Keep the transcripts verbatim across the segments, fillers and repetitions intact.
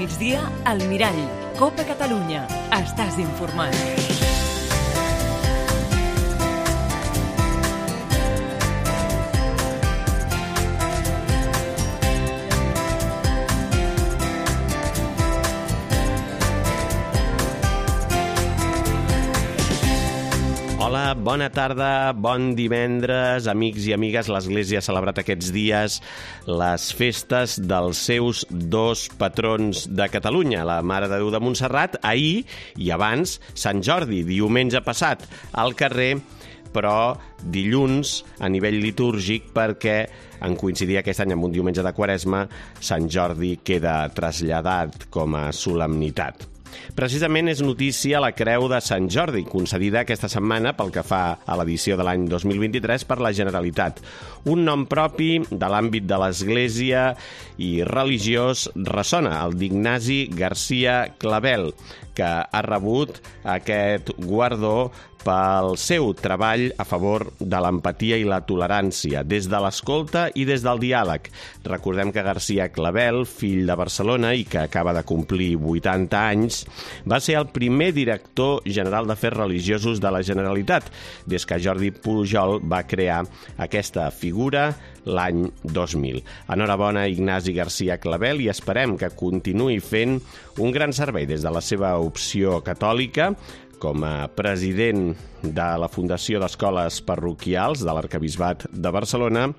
migdia, al Mirall. Copa Catalunya. Estàs informat. Hola, bona tarda, bon divendres, amics i amigues. L'Església ha celebrat aquests dies les festes dels seus dos patrons de Catalunya, la Mare de Déu de Montserrat, ahir i abans Sant Jordi, diumenge passat, al carrer, però dilluns a nivell litúrgic perquè en coincidir aquest any amb un diumenge de Quaresma, Sant Jordi queda traslladat com a solemnitat. Precisament és notícia la Creu de Sant Jordi, concedida aquesta setmana pel que fa a l'edició de l'any dos mil vint-i-tres per la Generalitat. Un nom propi de l'àmbit de l'Església i religiós ressona, el d'Ignasi Garcia Clavel, que ha rebut aquest guardó pel seu treball a favor de l'empatia i la tolerància, des de l'escolta i des del diàleg. Recordem que Garcia Clavel, fill de Barcelona i que acaba de complir vuitanta anys, va ser el primer director general d'Afers Religiosos de la Generalitat, des que Jordi Pujol va crear aquesta figura l'any dos mil. Enhorabona, Ignasi Garcia Clavel, i esperem que continuï fent un gran servei des de la seva opció catòlica, com a president de la Fundació d'Escoles Parroquials de l'Arquebisbat de Barcelona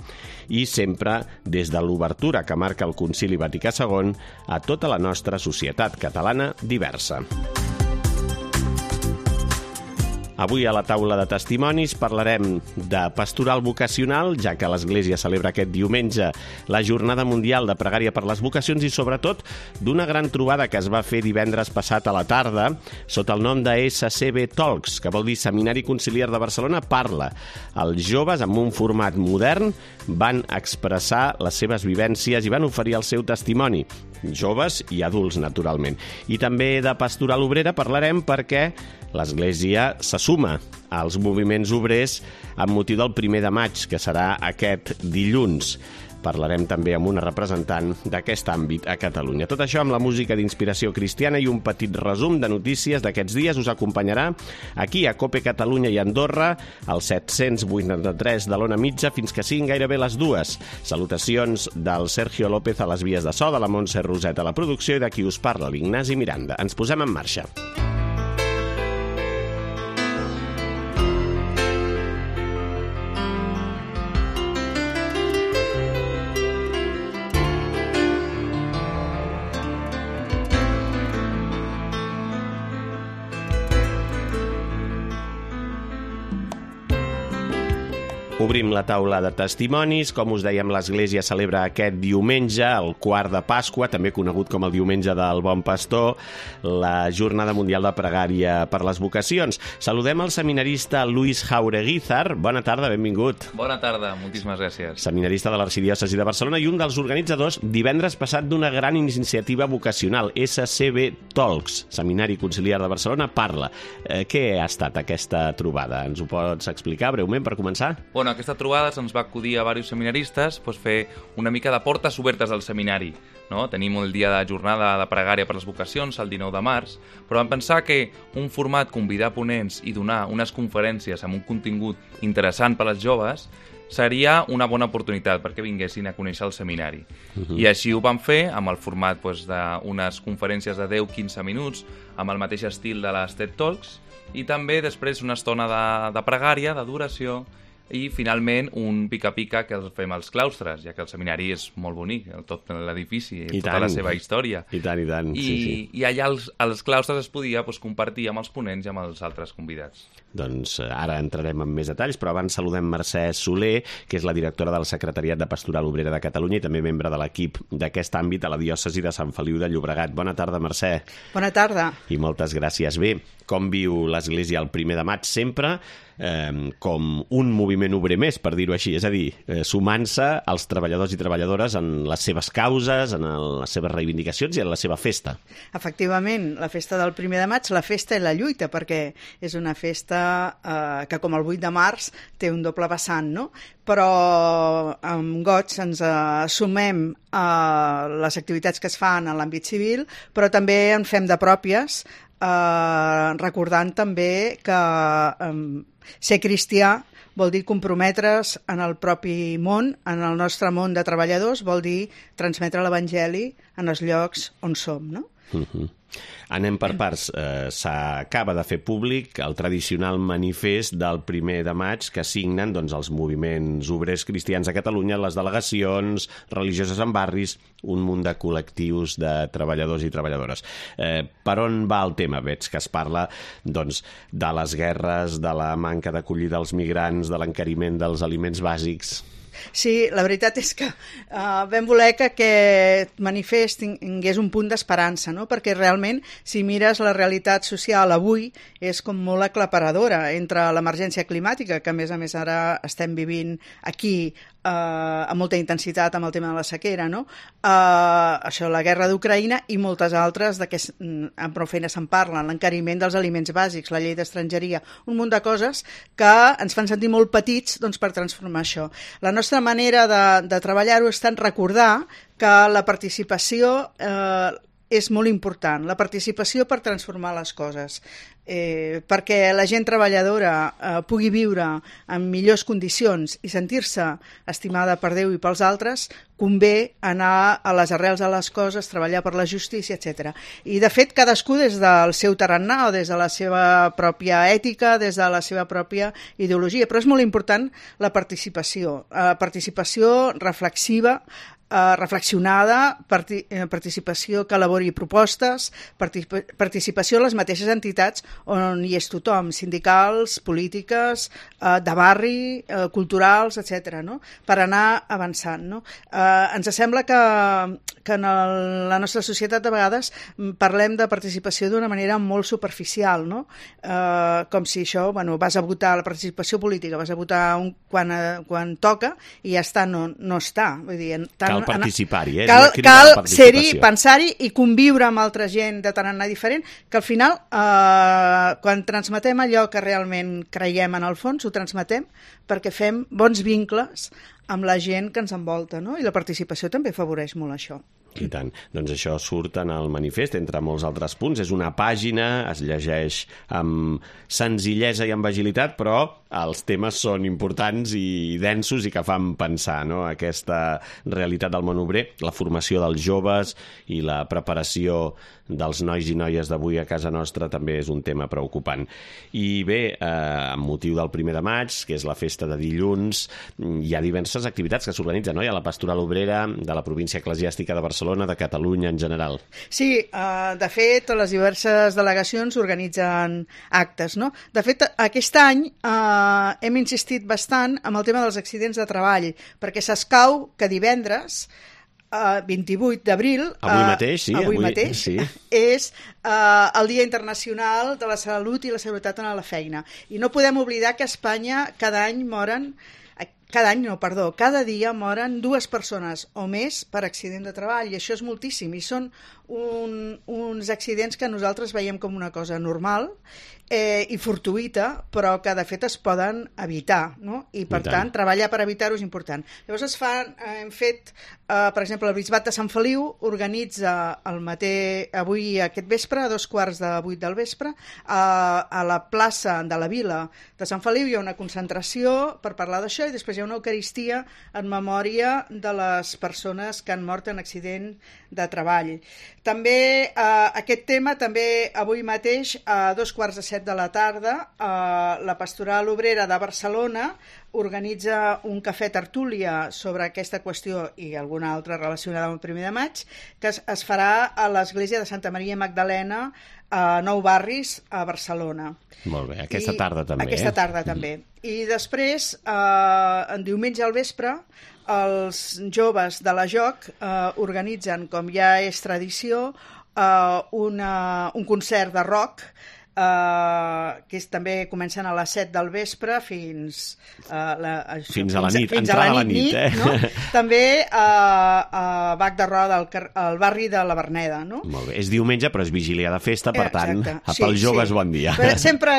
i sempre des de l'obertura que marca el Concili Vaticà segon a tota la nostra societat catalana diversa. Avui a la taula de testimonis parlarem de pastoral vocacional, ja que l'Església celebra aquest diumenge la Jornada Mundial de Pregària per les Vocacions i, sobretot, d'una gran trobada que es va fer divendres passat a la tarda sota el nom de S C B Talks, que vol dir Seminari Conciliar de Barcelona Parla. Els joves, amb un format modern, van expressar les seves vivències i van oferir el seu testimoni. Joves i adults, naturalment. I també de pastoral obrera parlarem perquè l'Església se suma als moviments obrers amb motiu del primer de maig, que serà aquest dilluns. Parlarem també amb una representant d'aquest àmbit a Catalunya. Tot això amb la música d'inspiració cristiana i un petit resum de notícies d'aquests dies us acompanyarà aquí a Copa Catalunya i Andorra, al set-cents vuitanta-tres de l'Ona Mitja, fins que siguin gairebé les dues. Salutacions del Sergio López a les vies de so, de la Montse Roset a la producció i de qui us parla, l'Ignasi Miranda. Ens posem en marxa. Obrim la taula de testimonis. Com us dèiem, l'Església celebra aquest diumenge, el quart de Pasqua, també conegut com el diumenge del Bon Pastor, la Jornada Mundial de Pregària per les Vocacions. Saludem el seminarista Luis Jaureguizar. Bona tarda, benvingut. Bona tarda, moltíssimes gràcies. Seminarista de l'Arxidiòcesi de Barcelona i un dels organitzadors divendres passat d'una gran iniciativa vocacional, S C B Talks, Seminari Conciliar de Barcelona Parla. Eh, què ha estat aquesta trobada? Ens ho pots explicar breument per començar? Bueno, aquesta trobada se'ns va acudir a diversos seminaristes doncs, fer una mica de portes obertes al seminari. No? Tenim el dia de jornada de pregària per les vocacions, el dinou de març, però vam pensar que un format convidar ponents i donar unes conferències amb un contingut interessant per als joves seria una bona oportunitat perquè vinguessin a conèixer el seminari. Uh-huh. I així ho vam fer amb el format doncs, d'unes conferències de deu a quinze minuts, amb el mateix estil de les TED Talks, i també després una estona de, de pregària, d'adoració, i finalment un pica-pica que el fem als claustres, ja que el seminari és molt bonic, tot l'edifici, I tota tant. La seva història. I tant, i tant. I, sí, sí. I allà als, als claustres es podia doncs, compartir amb els ponents i amb els altres convidats. Doncs ara entrarem en més detalls, però abans saludem Mercè Soler, que és la directora del Secretariat de Pastoral Obrera de Catalunya i també membre de l'equip d'aquest àmbit a la diòcesi de Sant Feliu de Llobregat. Bona tarda, Mercè. Bona tarda. I moltes gràcies. Bé, com viu l'Església el primer de maig? Sempre eh, com un moviment obrer més, per dir-ho així, és a dir, eh, sumant-se als treballadors i treballadores en les seves causes, en el, les seves reivindicacions i en la seva festa. Efectivament, la festa del primer de maig, la festa i la lluita, perquè és una festa eh, que, com el vuit de març, té un doble vessant, no? però amb goig ens assumem uh, les activitats que es fan en l'àmbit civil, però també en fem de pròpies, uh, recordant també que um, ser cristià vol dir comprometre's en el propi món, en el nostre món de treballadors, vol dir transmetre l'Evangeli en els llocs on som, no? Uh-huh. Anem per parts. Eh, s'acaba de fer públic el tradicional manifest del primer de maig que signen doncs, els moviments obrers cristians a Catalunya, les delegacions religioses en barris, un munt de col·lectius de treballadors i treballadores. Eh, per on va el tema? Veig que es parla doncs, de les guerres, de la manca d'acollida als migrants, de l'encariment dels aliments bàsics. Sí, la veritat és que uh, vam voler que aquest manifest tingués un punt d'esperança, no? Perquè realment, si mires la realitat social avui, és com molt aclaparadora entre l'emergència climàtica, que a més a més ara estem vivint aquí uh, amb molta intensitat amb el tema de la sequera, no? Uh, això, la guerra d'Ucraïna i moltes altres de què amb prou feina se'n parlen, l'encariment dels aliments bàsics, la llei d'estrangeria, un munt de coses que ens fan sentir molt petits doncs, per transformar això. La nostra manera de, de treballar-ho és tant recordar que la participació eh, és molt important, la participació per transformar les coses, eh, perquè la gent treballadora eh, pugui viure en millors condicions i sentir-se estimada per Déu i pels altres, convé anar a les arrels de les coses, treballar per la justícia, etcètera. I, de fet, cadascú des del seu tarannà o des de la seva pròpia ètica, des de la seva pròpia ideologia. Però és molt important la participació, la participació reflexiva, Uh, reflexionada, parti eh, participació que elabori propostes, particip participació a les mateixes entitats on hi és tothom, sindicals, polítiques, uh, de barri, uh, culturals, etcètera, no? Per anar avançant. No? Uh, ens sembla que, que en el, la nostra societat de vegades parlem de participació d'una manera molt superficial, no? Uh, com si això, bueno, vas a votar, la participació política, vas a votar un, quan, uh, quan toca i ja està, no, no està. Vull dir, tant Cal participar-hi, eh? Cal, cal ser-hi, pensar-hi i conviure amb altra gent de tarannà diferent, que al final, eh, quan transmetem allò que realment creiem en el fons, ho transmetem perquè fem bons vincles amb la gent que ens envolta, no? I la participació també afavoreix molt això. I tant. Doncs això surt en el manifest, entre molts altres punts. És una pàgina, es llegeix amb senzillesa i amb agilitat, però els temes són importants i densos i que fan pensar, no? Aquesta realitat del món obrer, la formació dels joves i la preparació dels nois i noies d'avui a casa nostra també és un tema preocupant. I bé, eh, amb motiu del primer de maig, que és la festa de dilluns, hi ha diverses activitats que s'organitzen, no? Hi ha la Pastoral Obrera de la província eclesiàstica de Barcelona, de Catalunya en general. Sí, eh, de fet, les diverses delegacions organitzen actes, no? De fet, aquest any eh, hem insistit bastant amb el tema dels accidents de treball, perquè s'escau que divendres, Uh, vint-i-vuit d'abril, avui mateix, sí, avui avui, mateix sí. és uh, el Dia Internacional de la Salut i la Seguretat en la Feina. I no podem oblidar que a Espanya cada any moren, cada any no, perdó, cada dia moren dues persones o més per accident de treball, i això és moltíssim, i són un, uns accidents que nosaltres veiem com una cosa normal eh, i fortuïta, però que de fet es poden evitar, no? I per I tant. tant, treballar per evitar-ho és important. Llavors es fan, eh, hem fet, eh, per exemple, el Bisbat de Sant Feliu organitza el mateix, avui aquest vespre, a dos quarts de vuit del vespre, a, a la plaça de la Vila de Sant Feliu hi ha una concentració per parlar d'això i després hi ha una eucaristia en memòria de les persones que han mort en accident de treball. També eh, aquest tema, també avui mateix a dos quarts de set de la tarda eh, la Pastoral Obrera de Barcelona organitza un cafè tertúlia sobre aquesta qüestió i alguna altra relacionada amb el primer de maig, que es, es farà a l'església de Santa Maria Magdalena a Nou Barris, a Barcelona. Molt bé, aquesta I, tarda també. Aquesta eh? tarda també. I després, eh, en diumenge al vespre, els joves de la J O C eh, organitzen, com ja és tradició, eh, una, un concert de rock Uh, que és, també comencen a les set del vespre fins, uh, la, això, fins a la nit, fins a la nit, nit, eh? No? També uh, a Bac de Roda, al, al barri de la Verneda. No? Molt bé. És diumenge, però és vigília de festa, per tant, Exacte. pels sí, joves sí. bon dia. Però sempre,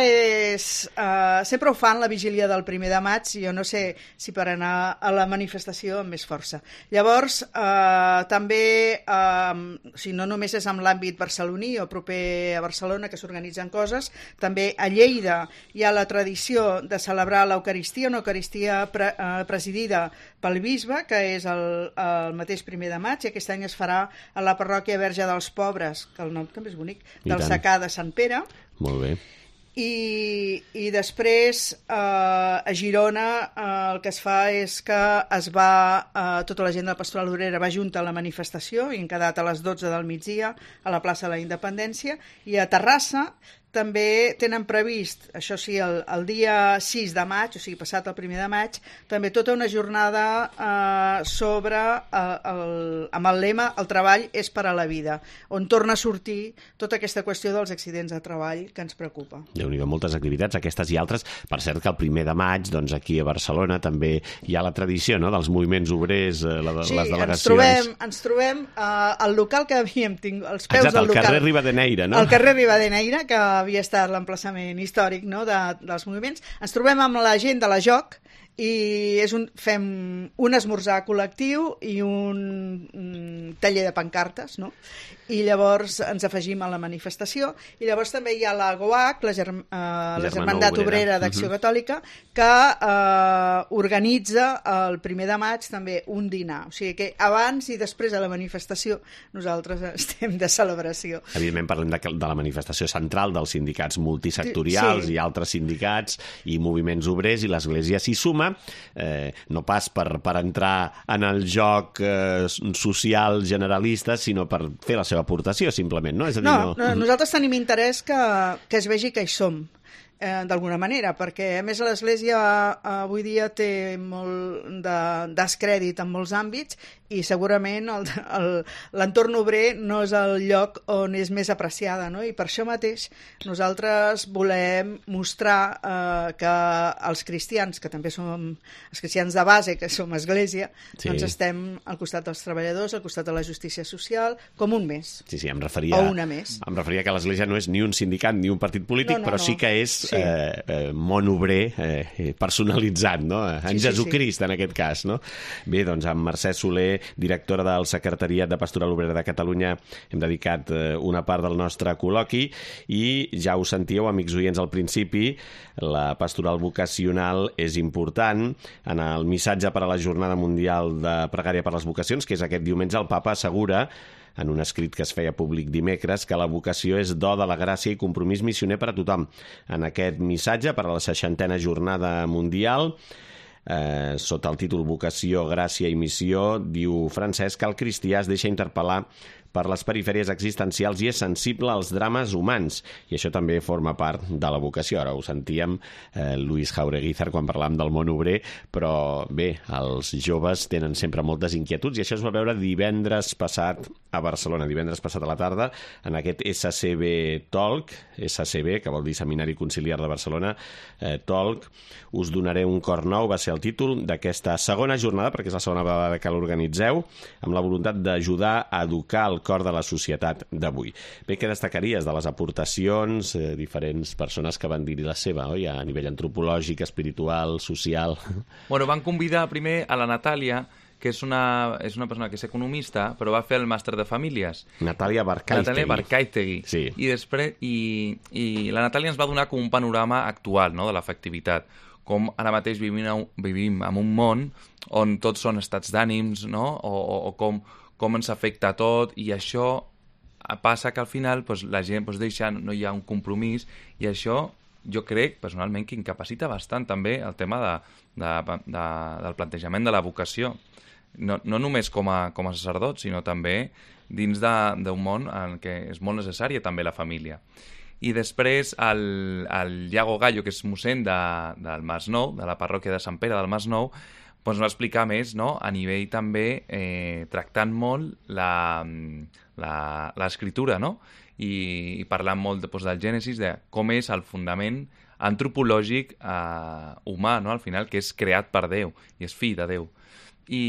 és, uh, sempre ho fan la vigília del primer de maig, i jo no sé si per anar a la manifestació amb més força. Llavors, uh, també, uh, o sigui, no només és amb l'àmbit barceloní o proper a Barcelona que s'organitzen coses, també a Lleida hi ha la tradició de celebrar l'Eucaristia, una Eucaristia pre, eh, presidida pel bisbe, que és el, el mateix primer de maig, i aquest any es farà a la parròquia Verge dels Pobres, que el nom també és bonic, del Secà de Sant Pere. Molt bé. I, i després eh, a Girona eh, el que es fa és que es va, eh, tota la gent de la Pastoral Obrera va junta a la manifestació i han quedat a les dotze del migdia a la plaça de la Independència, i a Terrassa també tenen previst, això sí, el, el dia sis de maig, o sigui, passat el primer de maig, també tota una jornada eh, sobre, eh, el, amb el lema "El treball és per a la vida", on torna a sortir tota aquesta qüestió dels accidents de treball que ens preocupa. Déu-n'hi-do, moltes activitats, aquestes i altres. Per cert que el primer de maig, doncs aquí a Barcelona també hi ha la tradició, no?, dels moviments obrers, eh, la, sí, les delegacions. Sí, ens trobem, ens trobem eh, al local que havíem tingut, als peus Exacte, del local. al carrer Rivadeneira, no? Al carrer Rivadeneira, que havia estat l'emplaçament històric, no?, de, dels moviments. Ens trobem amb la gent de la Joc i és un, fem un esmorzar col·lectiu i un, un taller de pancartes, no? I llavors ens afegim a la manifestació, i llavors també hi ha la GOAC, la, Germ eh, la Germandat Obrera d'Acció uh-huh. Catòlica, que eh, organitza el primer de maig també un dinar, o sigui que abans i després de la manifestació nosaltres estem de celebració. Evidentment parlem de, de la manifestació central dels sindicats multisectorials sí. i altres sindicats i moviments obrers, i l'Església s'hi suma, eh, no pas per, per entrar en el joc eh, social generalista, sinó per fer la seva aportació, simplement, no? És a dir, no, no... no, nosaltres tenim interès que, que es vegi que hi som, eh, d'alguna manera, perquè a més l'Església eh, avui dia té molt de descrèdit en molts àmbits, i segurament l'entorn obrer no és el lloc on és més apreciada, no? I per això mateix nosaltres volem mostrar eh, que els cristians, que també som els cristians de base, que som Església, sí. doncs estem al costat dels treballadors, al costat de la justícia social, com un més. Sí, sí, em referia, o una més. Em referia que l'Església no és ni un sindicat ni un partit polític, no, no, però sí que és sí. eh, eh, món obrer eh, personalitzat, no? En sí, Jesucrist, sí, sí. en aquest cas, no? Bé, doncs amb Mercè Soler, directora del Secretariat de Pastoral Obrera de Catalunya, hem dedicat eh, una part del nostre col·loqui, i ja ho sentíeu, amics oients, al principi, la pastoral vocacional és important. En el missatge per a la Jornada Mundial de Pregària per les Vocacions, que és aquest diumenge, el Papa assegura, en un escrit que es feia públic dimecres, que la vocació és do de la gràcia i compromís missioner per a tothom. En aquest missatge per a la seixantena Jornada Mundial, Eh, sota el títol Vocació, Gràcia i Missió, diu Francesc que el cristià es deixa interpel·lar per les perifèries existencials i és sensible als drames humans, i això també forma part de la vocació. Ara ho sentíem, eh, Luis Jaureguizar, quan parlàvem del món obrer, però bé, els joves tenen sempre moltes inquietuds, i això es va veure divendres passat a Barcelona, divendres passat a la tarda, en aquest S C B Talk, S C B, que vol dir Seminari Conciliar de Barcelona, eh, Talk, us donaré un cor nou, va ser el títol d'aquesta segona jornada, perquè és la segona vegada que l'organitzeu, amb la voluntat d'ajudar a educar el cor de la societat d'avui. Bé, què destacaries de les aportacions, eh, diferents persones que van dir la seva, oi? A nivell antropològic, espiritual, social... Bueno, van convidar primer a la Natàlia, que és una, és una persona que és economista, però va fer el màster de famílies. Natàlia Barkaitegui. Natàlia Barkaitegui. Sí. I després, i, i la Natàlia ens va donar com un panorama actual, no?, de l'afectivitat. Com ara mateix vivim, vivim en un món on tots són estats d'ànims, no?, o, o, o com, com ens afecta tot, i això passa que al final pues, la gent pues, deixa, no hi ha un compromís, i això jo crec personalment que incapacita bastant també el tema de, de, de, del plantejament de la vocació. No, no només com a, com a sacerdot, sinó també dins d'un món en què és molt necessària també la família. I després el, el Iago Gallo, que és mossèn de, del Masnou, de la parròquia de Sant Pere del Masnou, doncs va explicar més, no?, a nivell també eh, tractant molt l'escriptura, no?, i, i parlant molt de, doncs, del Gènesis, de com és el fundament antropològic eh, humà, no?, al final, que és creat per Déu i és fill de Déu. I,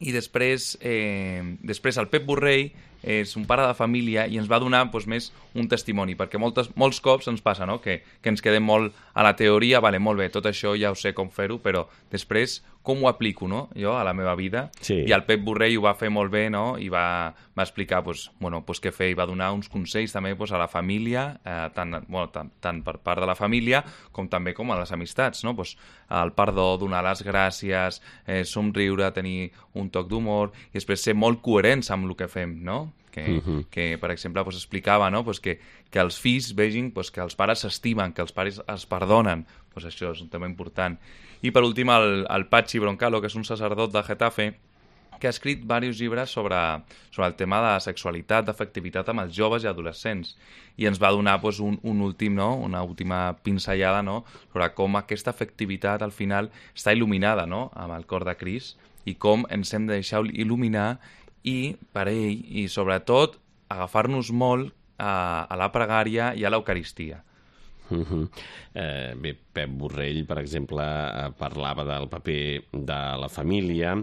i després, eh, després el Pep Borrell és un pare de família i ens va donar doncs, més un testimoni, perquè moltes, molts cops ens passa, no?, que, que ens quedem molt a la teoria, vale, molt bé, tot això ja ho sé com fer-ho, però després com ho aplico, no?, jo a la meva vida. Sí. I el Pep Borrell ho va fer molt bé, no?, i va, va explicar doncs, bueno, doncs què fer, i va donar uns consells també doncs, a la família, eh, tant, bueno, tant, tant per part de la família com també com a les amistats, no?, doncs, el perdó, donar les gràcies, eh, somriure, tenir un toc d'humor, i després ser molt coherents amb el que fem, no?, que, uh-huh. que per exemple, pues, explicava, no?, pues, que, que els fills vegin pues, que els pares s'estimen, que els pares es perdonen. Pues això és un tema important. I per últim, el, el Patxi Broncalo, que és un sacerdot de Getafe, que ha escrit diversos llibres sobre, sobre el tema de sexualitat, d'afectivitat amb els joves i adolescents. I ens va donar pues, un, un últim, no?, una última pinzellada, no?, sobre com aquesta afectivitat al final està il·luminada, no?, amb el cor de Crist, i com ens hem de deixar il·luminar i per ell, i sobretot agafar-nos molt a, a la pregària i a l'Eucaristia. Uh-huh. Eh, bé, Pep Borrell, per exemple, eh, parlava del paper de la família,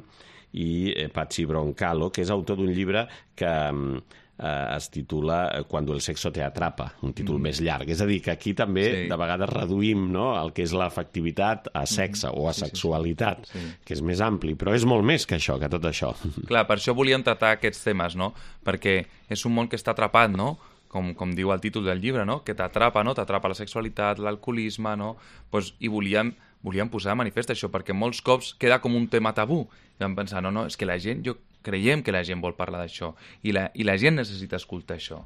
i eh, Patxi Broncalo, que és autor d'un llibre que eh, es titula Cuando el sexo te atrapa, un títol mm. més llarg. És a dir, que aquí també sí. de vegades reduïm, no?, el que és l'afectivitat a sexe mm. o a sí, sexualitat, sí, sí. que és més ampli, però és molt més que això, que tot això. Clar, per això volíem tractar aquests temes, no?, perquè és un món que està atrapat, no?, com, com diu el títol del llibre, no?, que t'atrapa, no?, t'atrapa la sexualitat, l'alcoholisme, no?, pues, i volíem, volíem posar de manifest això, perquè molts cops queda com un tema tabú. I vam pensar, no, no, és que la gent, jo creiem que la gent vol parlar d'això i la, i la gent necessita escoltar això.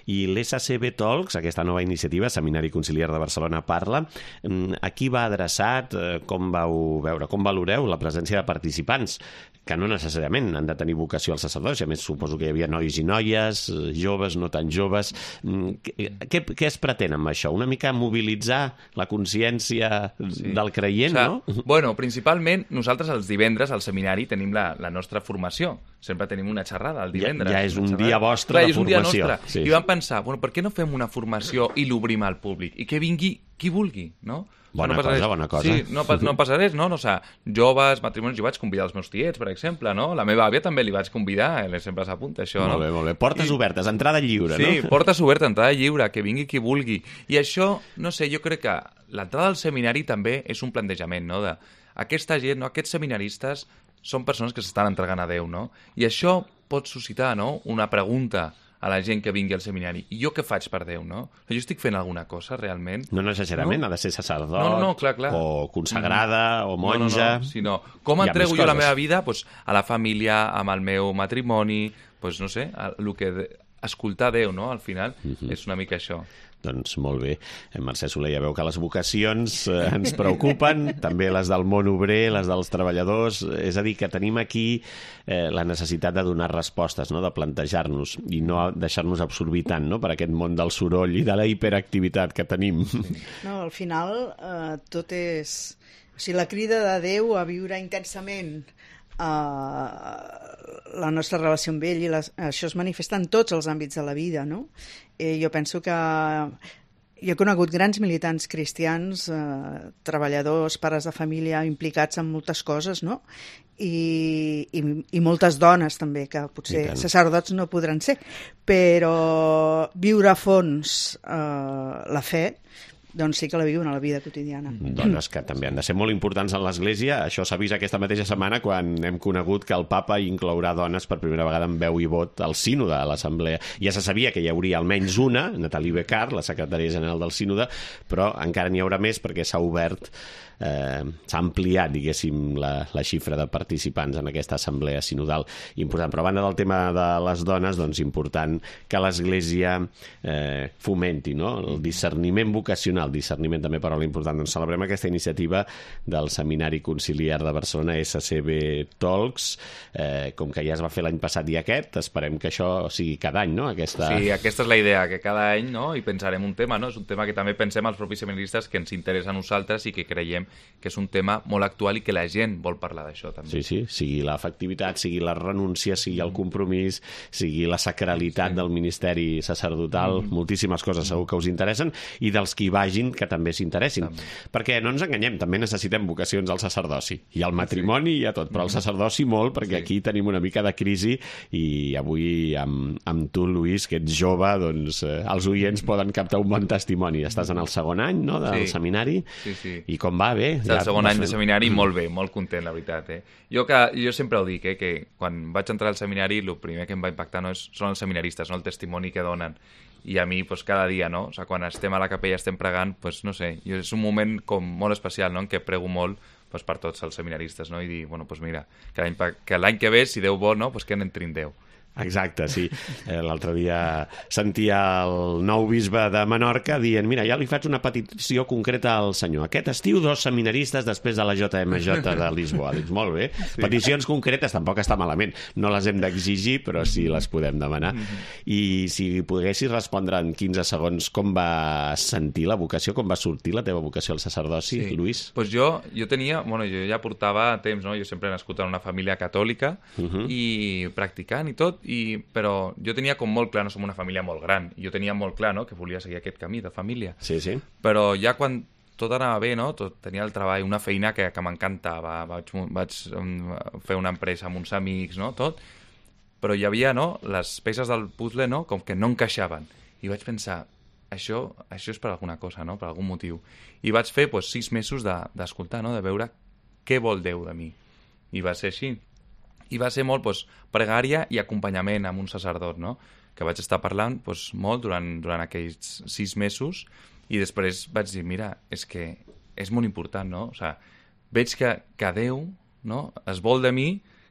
I l'S C B Talks, aquesta nova iniciativa, Seminari Conciliar de Barcelona Parla, a qui va adreçat? Com vau veure? Com valoreu la presència de participants que no necessàriament han de tenir vocació al sacerdoci? A més, suposo que hi havia nois i noies, joves, no tan joves. Què, què es pretén amb això? Una mica mobilitzar la consciència sí. del creient, o sigui, no? Bueno, principalment, nosaltres els divendres al seminari tenim la, la nostra formació. Sempre tenim una xerrada el divendres. Ja, ja és un dia vostre Clar, de és un formació. Dia nostre. Sí. I vam pensar, bueno, per què no fem una formació i l'obrim al públic? I que vingui qui vulgui, no? Bona no cosa, res. bona cosa. Sí, no, no passa res, no? no o sigui, joves, matrimonis, jo vaig convidar els meus tiets, per exemple, no? La meva àvia també li vaig convidar, ella sempre s'apunta, això, molt no? Molt bé, molt bé. Portes I... obertes, entrada lliure, sí, no? Sí, portes obertes, entrada lliure, que vingui qui vulgui. I això, no sé, jo crec que l'entrada al seminari també és un plantejament, no? De aquesta gent, no? Aquests seminaristes són persones que s'estan entregant a Déu, no? I això pot suscitar, no?, una pregunta a la gent que vingui al seminari. I jo què faig per Déu, no? Jo estic fent alguna cosa, realment? No necessàriament, no? Ha de ser sacerdot, no, no, no, clar, clar. o consagrada, no, o monja... No, no, no, sinó, com entrego jo la meva vida pues, a la família, amb el meu matrimoni, pues, no sé, el que de... escoltar Déu, no?, al final, uh-huh. és una mica això. Doncs molt bé. Mercè Soler, ja veu que les vocacions eh, ens preocupen, també les del món obrer, les dels treballadors, és a dir, que tenim aquí eh, la necessitat de donar respostes, no?, de plantejar-nos i no deixar-nos absorbir tant, no?, per aquest món del soroll i de la hiperactivitat que tenim. No, al final eh, tot és... O sigui, la crida de Déu a viure intensament Uh, la nostra relació amb ell i les, això es manifesta en tots els àmbits de la vida, no? Eh, jo penso que jo he conegut grans militants cristians, eh, treballadors, pares de família implicats en moltes coses, no? I, i, i moltes dones també, que potser sacerdots no podran ser, però viure a fons eh, la fe, doncs sí que la viuen a la vida quotidiana. Dones que també han de ser molt importants en l'Església. Això s'ha vist aquesta mateixa setmana quan hem conegut que el papa inclourà dones per primera vegada en veu i vot al sínode, a l'assemblea. Ja se sabia que hi hauria almenys una, Nathalie Becard, la secretària general del sínode, però encara n'hi haurà més perquè s'ha obert, eh, s'ha ampliat, diguéssim, la, la xifra de participants en aquesta assemblea sinodal important. Però a banda del tema de les dones, doncs important que l'Església eh, fomenti, no?, el discerniment vocacional, discerniment també paraula important. Doncs celebrem aquesta iniciativa del Seminari Conciliar de Barcelona, S C B Talks, eh, com que ja es va fer l'any passat i aquest, esperem que això sigui cada any, no? Aquesta... Sí, aquesta és la idea, que cada any, no?, hi pensarem un tema, no? És un tema que també pensem els propis seminaristes que ens interessa a nosaltres i que creiem que és un tema molt actual i que la gent vol parlar d'això també. Sí, sí, sigui l'efectivitat, sigui la renúncia, sigui el compromís, sigui la sacralitat sí. del ministeri sacerdotal, mm. moltíssimes coses segur que us interessen, i dels que hi vagin que també s'interessin. També. Perquè no ens enganyem, també necessitem vocacions al sacerdoci, i al matrimoni sí. i a tot, però al sacerdoci molt, perquè sí. aquí tenim una mica de crisi, i avui amb, amb tu, Lluís, que ets jove, doncs eh, els oients poden captar un bon testimoni. Estàs en el segon any, no?, del sí. seminari, sí, sí. i com va? Bé? El segon any de seminari, molt bé, molt content, la veritat. Eh? Jo, que, jo sempre ho dic, eh, que quan vaig entrar al seminari, el primer que em va impactar no és, són els seminaristes, no? El testimoni que donen. I a mi, pues, cada dia, no? O sigui, quan estem a la capella, estem pregant, pues, no sé, és un moment com molt especial, no?, en què prego molt pues, per tots els seminaristes, no? I dir, bueno, pues mira, que l'any que, l'any que ve, si Déu vol, no?, pues que n'entri en Déu. Exacte, sí. Eh, l'altre dia sentia el nou bisbe de Menorca dient, mira, ja li faig una petició concreta al senyor. Aquest estiu dos seminaristes després de la J M J de Lisboa. Dic, molt bé. Sí. Peticions concretes tampoc està malament. No les hem d'exigir, però sí les podem demanar. I si poguessis respondre en quinze segons com va sentir la vocació, com va sortir la teva vocació al sacerdoci, sí. Lluís? Pues jo, jo tenia, bueno, jo ja portava temps, no? Jo sempre he nascut en una família catòlica uh-huh. i practicant i tot, I, però jo tenia com molt clar, no som una família molt gran, jo tenia molt clar, no?, que volia seguir aquest camí de família. Sí, sí. Però ja quan tot anava bé, no?, tot, tenia el treball, una feina que, que m'encantava, vaig, vaig fer una empresa amb uns amics, no?, tot, però hi havia, no?, les peces del puzzle, no?, com que no encaixaven. I vaig pensar, això, això és per alguna cosa, no?, per algun motiu. I vaig fer, pues, sis mesos de, d'escoltar, no?, de veure què vol Déu de mi. I va ser així. I va ser molt pues, pregària i acompanyament amb un sacerdot, no? Que vaig estar parlant pues, molt durant, durant aquells sis mesos i després vaig dir, mira, és que és molt important, no? O sigui, veig que, que Déu, no?, es vol de mi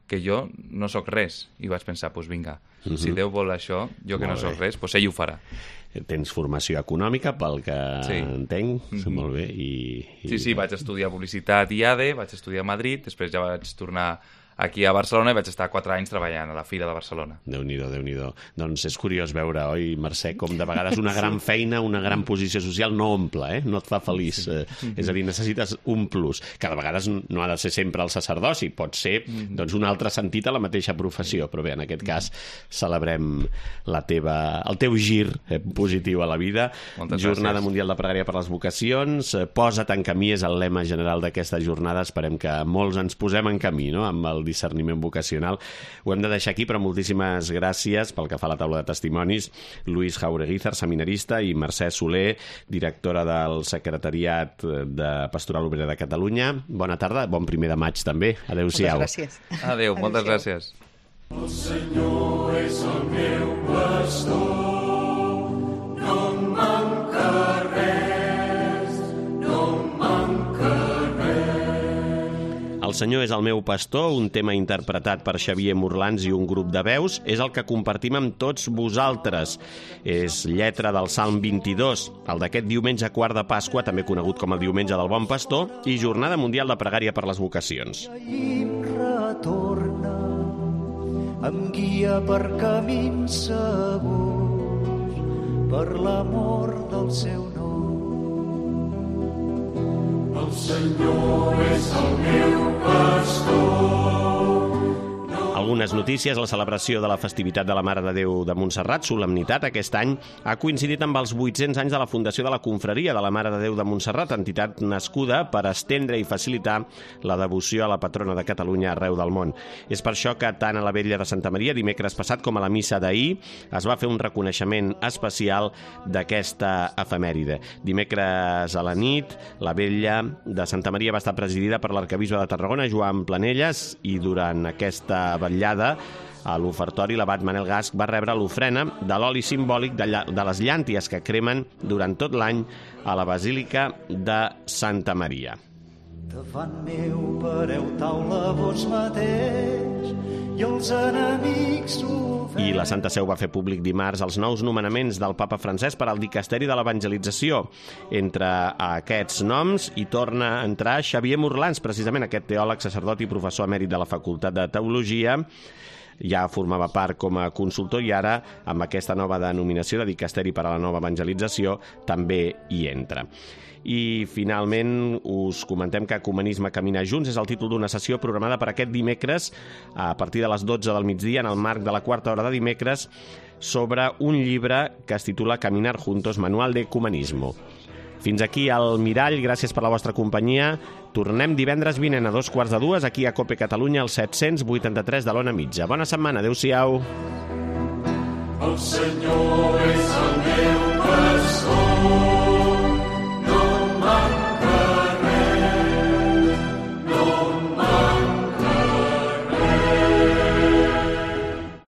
que jo no sóc res. I vaig pensar, doncs pues, vinga, uh-huh. si Déu vol això, jo que molt no sóc bé. res, doncs pues ell ho farà. Tens formació econòmica, pel que sí. entenc, mm-hmm. molt bé. I, i... Sí, sí, vaig estudiar publicitat i A D E, vaig estudiar a Madrid, després ja vaig tornar aquí a Barcelona i vaig estar quatre anys treballant a la Fira de Barcelona. Déu-n'hi-do, Déu-n'hi-do. Doncs és curiós veure, oi, Mercè, com de vegades una gran feina, una gran posició social no omple, eh? No et fa feliç. Sí. Eh, és a dir, necessites un plus, que de vegades no ha de ser sempre el sacerdoci, pot ser doncs, un altre sentit a la mateixa professió, però bé, en aquest cas celebrem la teva, el teu gir eh, positiu a la vida. Moltes Jornada gràcies. Mundial de Pregària per les Vocacions, eh, posa't en camí és el lema general d'aquesta jornada, esperem que molts ens posem en camí, no?, amb el discerniment vocacional. Ho hem de deixar aquí, però moltíssimes gràcies pel que fa a la taula de testimonis. Lluís Jaureguizar, seminarista, i Mercè Soler, directora del Secretariat de Pastoral Obrera de Catalunya. Bona tarda, bon primer de maig també. Adéu-siau. Moltes gràcies. Adéu, moltes gràcies. El Senyor és el meu pastor, no em manca res, no em manca El Senyor és el meu pastor, un tema interpretat per Xavier Morlans i un grup de veus, és el que compartim amb tots vosaltres. És lletra del Salm vint-i-dos, el d'aquest diumenge quart de Pasqua, també conegut com el diumenge del Bon Pastor, i Jornada Mundial de Pregària per les Vocacions. I em retorna, em guia per camins segurs, per l'amor del seu nom. El Senyor és el meu pastor. Algunes notícies. La celebració de la festivitat de la Mare de Déu de Montserrat, solemnitat, aquest any ha coincidit amb els vuit-cents anys de la fundació de la Confraria de la Mare de Déu de Montserrat, entitat nascuda per estendre i facilitar la devoció a la patrona de Catalunya arreu del món. És per això que tant a la Vetlla de Santa Maria, dimecres passat, com a la missa d'ahir, es va fer un reconeixement especial d'aquesta efemèride. Dimecres a la nit, la Vetlla de Santa Maria va estar presidida per l'arquebisbe de Tarragona, Joan Planelles, i durant aquesta vetllada a l'ofertori l'abat Manel Gasc va rebre l'ofrena de l'oli simbòlic de, lla- de les llànties que cremen durant tot l'any a la Basílica de Santa Maria. Davant meu pareu taula vos mateix i els enemics ho veuen. I la Santa Seu va fer públic dimarts els nous nomenaments del papa Francesc per al dicasteri de l'evangelització. Entre aquests noms hi torna a entrar Xavier Morlans, precisament aquest teòleg, sacerdot i professor emèrit de la Facultat de Teologia, ja formava part com a consultor i ara, amb aquesta nova denominació de Dicasteri per a la Nova Evangelització, també hi entra. I finalment us comentem que Ecumenisme Caminar Junts és el títol d'una sessió programada per aquest dimecres a partir de les dotze del migdia en el marc de la quarta hora de dimecres sobre un llibre que es titula Caminar Juntos, Manual de Ecumenismo. Fins aquí el Mirall, gràcies per la vostra companyia. Tornem divendres vinent a dos quarts de dues aquí a Cope Catalunya, al set-cents vuitanta-tres de l'Ona Mitja. Bona setmana, adeu-siau. El Senyor és el meu pastor.